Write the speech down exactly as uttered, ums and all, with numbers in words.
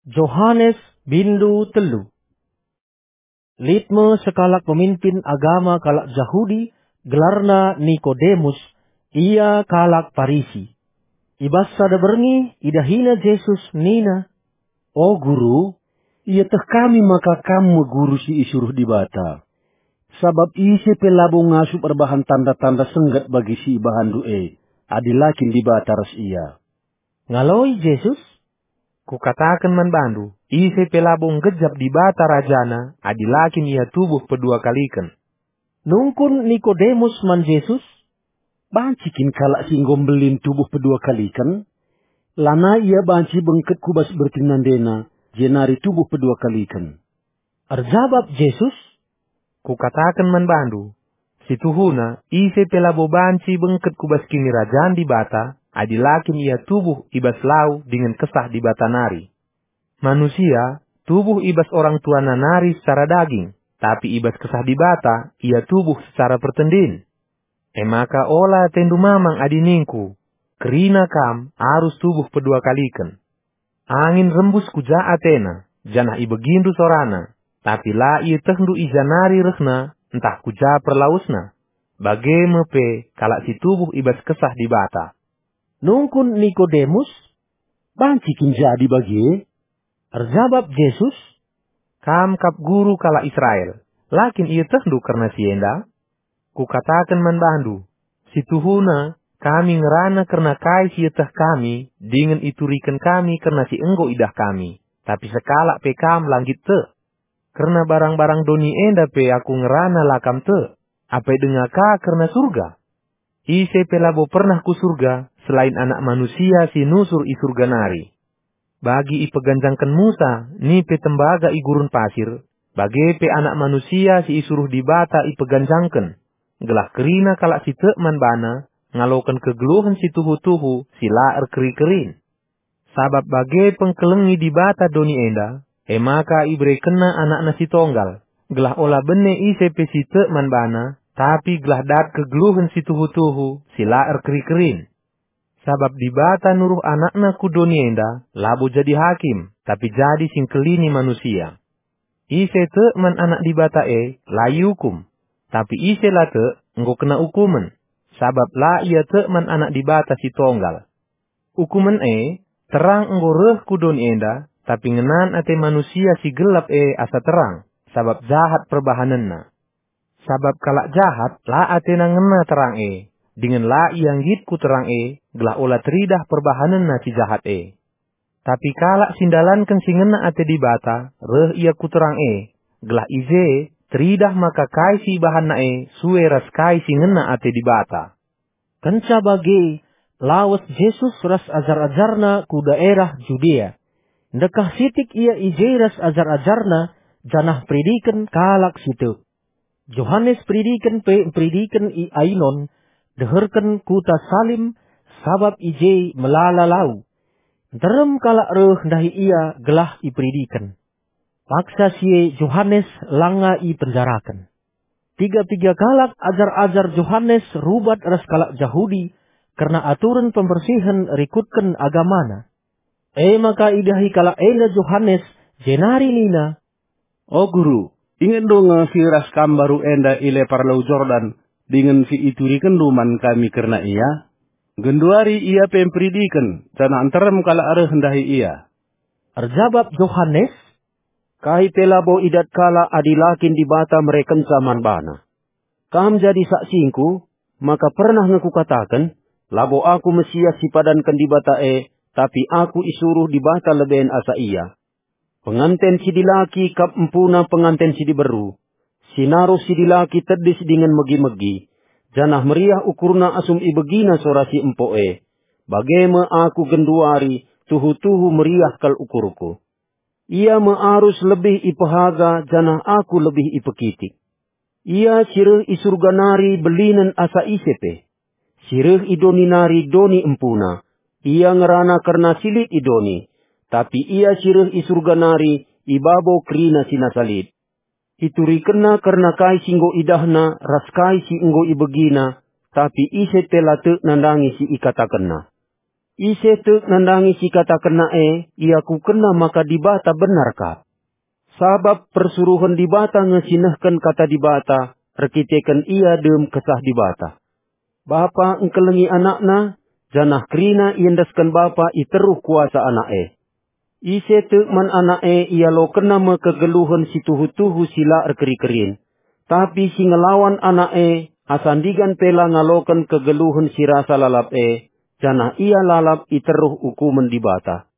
Johanes bindu telu. Lit me sekalak pemimpin agama kalak Jahudi, gelarna Nikodemus, ia kalak Parisi. I bas sada berngi idahina Jesus nina, "O Guru, ieteh kami maka Kam me Guru si isuruh Dibata. Sabap ise pe labo ngasup erbahan tanda-tanda sengget bagi si ibahanNdu e, adi la kin Dibata ras ia." Ngaloi Jesus, "Kukataken man bandu, ise pe labo nggejap Dibata rajana adi la kin ia tubuh pedua kaliken." Nungkun Nikodemus man Jesus, "Banci kin kalak si enggo mbelin tubuh pedua kaliken? Lanai ia banci bengket ku bas bertin nandena, jenari tubuh pedua kaliken." Erjabap Jesus, "Kukataken man bandu, si tuhuna, ise pe labo banci bengket ku bas Kinirajan Dibata, adi la kin ia tubuh i bas lau dingen Kesah Dibata nari. Manusia tubuh i bas orang tuana nari secara daging, tapi i bas Kesah Dibata ia tubuh secara pertendin. E maka ola atendu mamang adi ningku, 'Kerina kam arus tubuh pedua kaliken.' Angin rembus ku ja atena, janah ibegindu sorana, tapi la ietehndu i ja nari rehna ntah ku ja perlawesna. Bage me pe kalak si tubuh i bas Kesah Dibata." Nungkun Nikodemus, "Banci kin jadi bage?" Erjabap Jesus, "Kam kap guru kalak Israel, la kin ietehndu kerna si enda? Kukataken man bandu, si tuhuna, kami ngerana kerna kai si ieteh kami dingen ituriken kami kerna si enggo idah kami, tapi sekalak pe kam la nggit tek. Kerna barang-barang doni enda pe aku ngerana la kam tek, apai denga ka kerna Surga? Ise pe labo pernah ku Surga selain Anak Manusia si nusur i Surga nari. Bagi ipeganjangken Musa nipe tembaga i gurun pasir, bage pe Anak Manusia si isuruh Dibata ipeganjangken, gelah kerina kalak si tek man baNa ngaloken kegeluhen si tuhu-tuhu si la erkeri-kerin. Sabap bage pengkelengi Dibata doni enda, e maka iberekenNa AnakNa si Tonggal, gelah ola bene ise pe si tek man baNa, tapi gelah dat kegeluhen si tuhu-tuhu si la erkeri-kerin. Sabap Dibata nuruh AnakNa ku doni enda labo jadi hakim, tapi jadi si ngkelini manusia. Ise tek man Anak Dibata e, la iukum. Tapi ise la tek, enggo kena ukumen, sabap la ia tek man Anak Dibata si Tonggal. Ukumen e, terang enggo reh ku doni enda, tapi ngenan ate manusia si gelap e asa terang, sabap jahat perbahanenna. Sabap kalak jahat la atena ngena terang e, dingen la ia nggit ku terang e, gelah ola teridah perbahanenna si jahat e. Tapi kalak si ndalanken si ngena ate Dibata, reh ia ku terang e, gelah i je teridah maka kai si ibahanna e sue ras kai si ngena ate Dibata. Kenca bage, lawes Jesus ras ajar-ajarNa ku daerah Judea. Ndekah sitik ia i je ras ajar-ajarNa, janah mperidiken kalak si tek. Johanes Peridiken pe mperidiken i Ainon, deherken kuta Salim, sabap i je melala lau. Nterem kalak reh ndahi ia gelah iperidiken. Paksa si e Johanes langa ipenjaraken. Piga-piga kalak ajar-ajar Johanes rubat ras kalak Jahudi kerna aturen pembersihen rikutken agamana. E maka idahi kalak enda Johanes, jenari nina, "O Guru, ingetndu nge si ras kam mbaru enda i lepar Lau Jordan, dingen si iturikenndu man kami kerna ia? Genduari ia pe mperidiken, janah nterem kalak reh ndahi ia." Erjabap Johanes, "Kai pe labo idat kalak adi la kin Dibata merekenca man bana. Kam jadi saksingku, maka pernah nge kukataken, 'Labo aku Mesias si ipadanken Dibata e, tapi aku isuruh Dibata leben asa ia.' Penganten si dilaki kap empuna penganten si diberu. Si naruh si dilaki tedis dingen megi-megi, janah meriah ukurna asum ibegina sora si empo e. Bage me aku genduari, tuhu-tuhu meriah kal ukurku. Ia me arus lebih ipehaga, janah aku lebih ipekitik. Ia si reh i Surga nari belinen asa ise pe. Si reh i doni nari doni empuna. Ia ngerana kerna si lit i doni. Tapi ia si reh i Surga nari i babo kerina si nasa lit. Iturikenna kerna kai si enggo idahna ras kai si enggo ibegina, tapi ise pe la tek nandangi si ikatakenna." Ise tek nandangi si ikatakenna e, iakukenna maka Dibata benar kap. Sabap persuruhen Dibata nge si nehken kata Dibata, erkiteken ia dem Kesah Dibata. Bapa engkelengi anakna, janah kerina iendesken bapa i teruh kuasa anak e. Ise tek man anak e ialokenna me kegeluhen si tuhu-tuhu si la erkeri-kerin, tapi si ngelawan anak e, asa ndigan pe la ngaloken kegeluhen si rasa lalap e, janah ia lalap i teruh ukumen Dibata.